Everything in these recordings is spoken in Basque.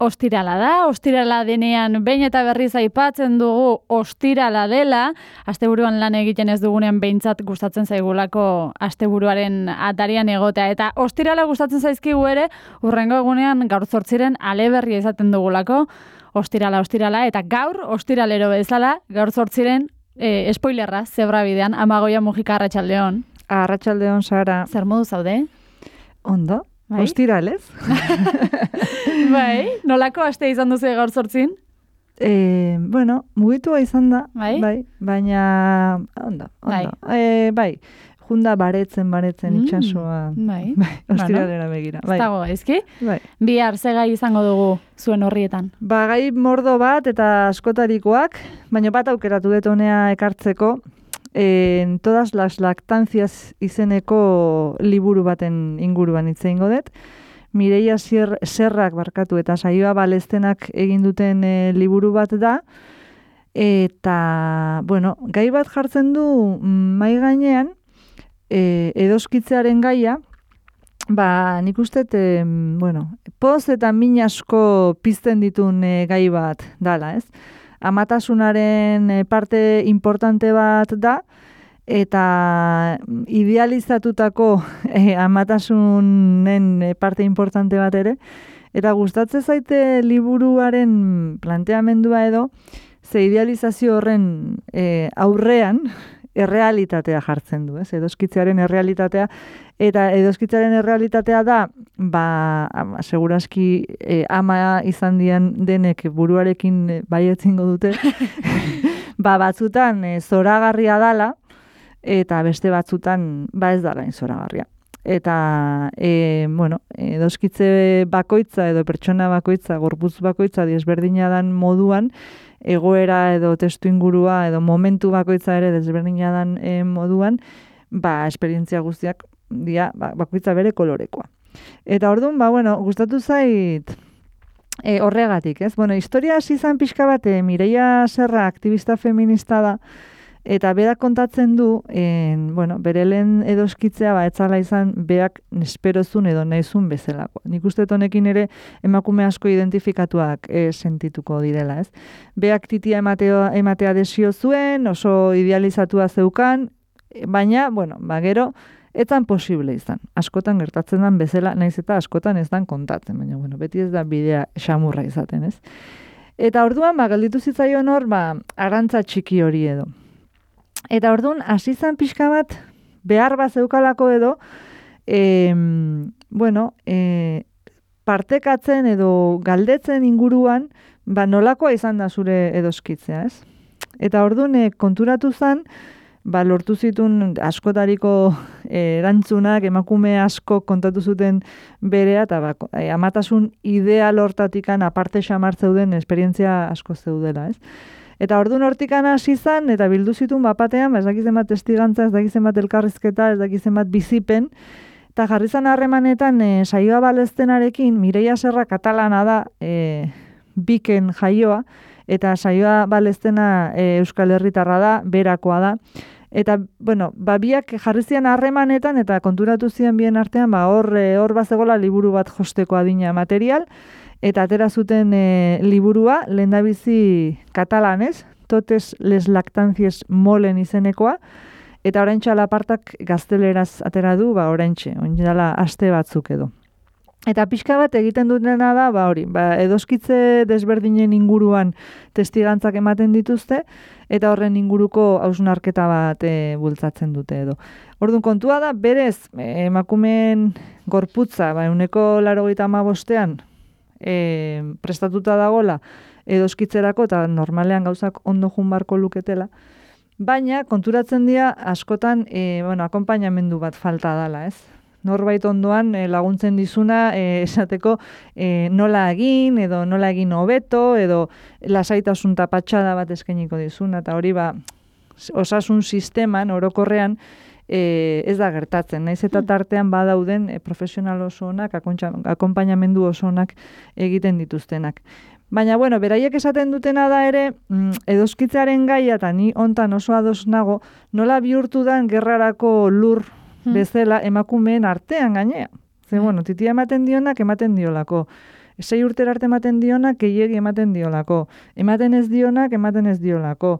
ostirala da, ostirala denean behin eta berriz aipatzen dugu ostirala dela, asteburuan lan egiten ez dugunean behintzat gustatzen zaigulako asteburuaren atarian egotea, eta ostirala gustatzen zaizkigu ere, hurrengo egunean gaur 8 aleberria izaten dugulako, ostirala, eta gaur, ostiralero bezala, gaur 8 spoilerra, zebra bidean, Amagoia Mujika, arratsaldeon. Arratsaldeon, Sara. Zer modu zaude? Ondo. Bai? Ostiralez. Bai, nolako aste izan duzu gaur 8? Bueno, mugitua izan da, bai, baina ondo. Bai, junda baretzen itsasoa. Bai, ostiralera begira. Ez dago gaizki? Bai. Bihar ze gai izango dugu zuen horrietan? Gai mordo bat eta askotarikoak, baina bat aukeratu dut honea ekartzeko, en todas las lactancias izeneko liburu baten inguruan hitz egingo dut. Mireia Serrak barkatu eta Saioa Balestenak egin duten liburu bat da. Eta, bueno, gai bat jartzen du mahai gainean, edoskitzearen gaia, nik uste, poz eta min asko pizten ditun gai bat dala, ez? Amatasunaren parte importante bat da, eta idealizatutako amatasunen parte importante bat ere, eta gustatzen zaite liburuaren planteamendua edo, ze idealizazio horren aurrean errealitatea jartzen du, ez? Edoskitzearen errealitatea, eta edoskitzearen errealitatea da, segurazki ama izan dian denek buruarekin baietzingo dute, batzutan zoragarria dala, eta beste batzutan ez dala zoragarria. Eta, edoskitze bakoitza edo pertsona bakoitza, gorputz bakoitza desberdina dan moduan, egoera edo testu ingurua edo momentu bakoitza ere desberdina dan moduan, esperientzia guztiak dia bakoitza bere kolorekoa. Eta orduan, gustatu zait horregatik, ez? Historia hasi izan pixka bat, Mireia Serra aktivista feminista da, eta berak kontatzen du, bere lehen edoskitzea etzala izan beak nesperozun edo nahizun bezalako. Nik uste honekin ere emakume asko identifikatuak sentituko direla, ez? Beak titia ematea desio zuen, oso idealizatua zeukan, baina, gero, etzan posible izan. Askotan gertatzen den bezala, naiz eta askotan ez dan kontatzen, baina, beti ez da bidea xamurra izaten, ez? Eta orduan, gelditu zitzaion hor, arantza txiki hori edo. Eta orduan, hasi izan pixka bat, behar bat zeukalako edo, partekatzen edo galdetzen inguruan, nolakoa izan da zure edoskitzea, ez? Eta orduan, konturatu zen, lortu zituen askotariko erantzunak, emakume asko kontatu zuten berea, eta amatasun ideal hortatikan aparte xamar zeuden esperientzia asko zeudela, ez? Eta orduan hortikan hasi izan, eta bildu zituen bapatean, ez dakizen bat testigantza, ez dakizen bat elkarrizketa, ez dakizen bat bizipen, eta jarri zan harremanetan Saioa Balestenarekin, Mireia Serra katalana da, Biken jaioa, eta Saioa Balestena Euskal Herritarra da, berakoa da. Eta, biak jarri zian harremanetan, eta konturatu zian bien artean, hor bazegola liburu bat josteko adina material, eta atera zuten liburua, lehendabizi katalanez, Totes les lactancies molen izenekoa, eta oraintxe alapartak gazteleraz atera du, oraintxe, dela aste batzuk edo. Eta pixka bat egiten dutena da, edoskitze desberdinen inguruan testigantzak ematen dituzte, eta horren inguruko hausnarketa bat bultzatzen dute edo. Orduan kontua da, berez, emakumeen gorputza, 85%, prestatuta dagola edoskitzerako, eta normalean gauzak ondo jun barko luketela, baina konturatzen dira askotan akonpainamendu bat falta dala, ez? Norbait ondoan laguntzen dizuna esateko nola egin, edo nola egin hobeto, edo lasaitasun tapatxada bat eskainiko dizuna, eta hori osasun sisteman, orokorrean, ez da gertatzen. Naiz eta tartean badauden profesional oso onak, akonpainamendu oso onak egiten dituztenak. Baina, beraiek esaten dutena da ere, edoskitzearen gaia, eta ni hontan oso ados nago, nola bihurtu dan gerrarako lur bezala emakumeen artean gainea. Ze, titia ematen dionak, ematen diolako 6 urtera arte ematen dionak, gehiegi ematen diolako. Ematen ez dionak, ematen ez diolako.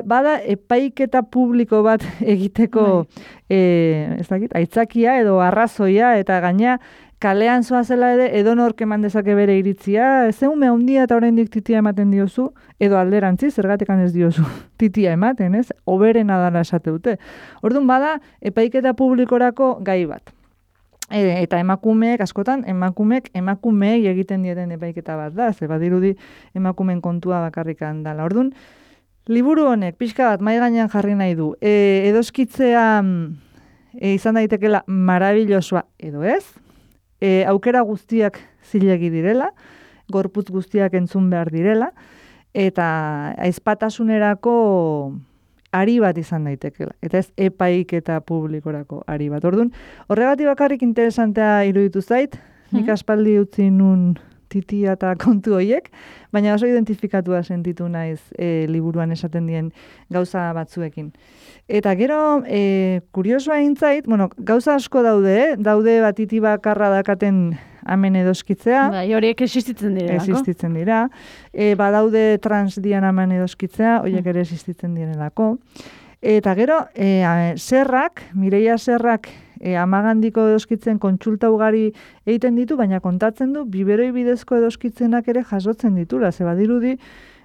Bada epaiketa publiko bat egiteko ez dakit, aitzakia edo arrazoia, eta gaina kalean zoazela ere edonork eman dezake bere iritzia, ez ume handia eta oraindik titia ematen diozu, edo alderantzi, zergatekan ez diozu titia ematen, ez? Oberena dela esate dute. Orduan bada epaiketa publikorako gai bat. Eta emakumeek, askotan, emakumeei egiten dieten epaiketa bat da, ze badirudi emakumeen kontua bakarrikan dela. Orduan, liburu honek pixka bat mai gainean jarri nahi du. Edoskitzea izan daitekela marabillosoa edo ez, aukera guztiak zilegi direla, gorputz guztiak entzun behar direla, eta aizpatasunerako ari bat izan daitekela. Eta ez epaiketa publikorako ari bat. Orduan, horregatik bakarrik interesantea iruditu zait, nik aspaldi utzi nun titia eta kontu horiek, baina oso identifikatua sentitu naiz liburuan esaten dien gauza batzuekin. Eta gero, kuriosoa intzait, gauza asko daude, daude bat titi bakarra dakaten amen edoskitzea. Bai, horiek existitzen dira. Existitzen dira. Badaude trans dian amen edoskitzea, horiek ere existitzen direlako. Eta gero, Mireia Serrak, amagandiko edoskitzen kontsulta ugari egiten ditu, baina kontatzen du, biberoi bidezko edoskitzenak ere jasotzen ditula. Ze badirudi,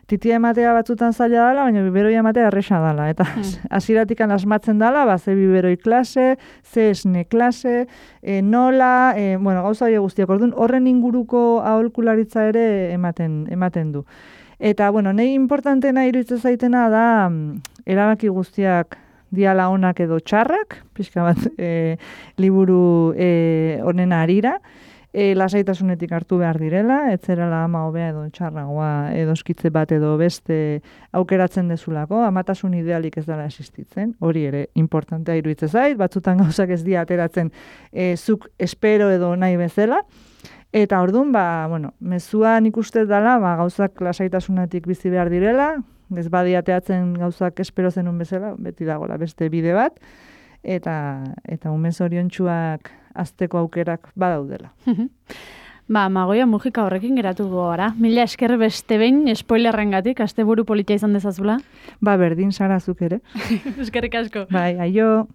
titia ematea batzutan zaila dela, baina biberoi ematea erresa dela. Eta hasieratik asmatzen dela, ze biberoi klase, ze esne klase, nola, gauza hori guztiak. Orduan, horren inguruko aholkularitza ere ematen du. Eta, nahi importantena iruditzen zaitena da, erabaki guztiak diala onak edo txarrak, pixka bat liburu honen harira, lasaitasunetik hartu behar direla, etzerala ama hobea edo txarragoa edoskitze bat edo beste aukeratzen dezulako, amatasun idealik ez dela existitzen, hori ere importantea iruditzen zait, batzutan gauzak ez dira ateratzen zuk espero edo nahi bezala, eta orduan, mezua nik uste dela, gauzak lasaitasunetik bizi behar direla, ez badiateatzen gauzak espero zenun bezala, beti dagoela beste bide bat, eta umez oriontsuak azteko aukerak badaudela. Magoia Mujika horrekin geratuko gara. Mila esker beste behin, spoilerrengatik, asteburu politia izan dezazula. Berdin, Sara, zuk ere. Eskerrik asko. Bai, aio.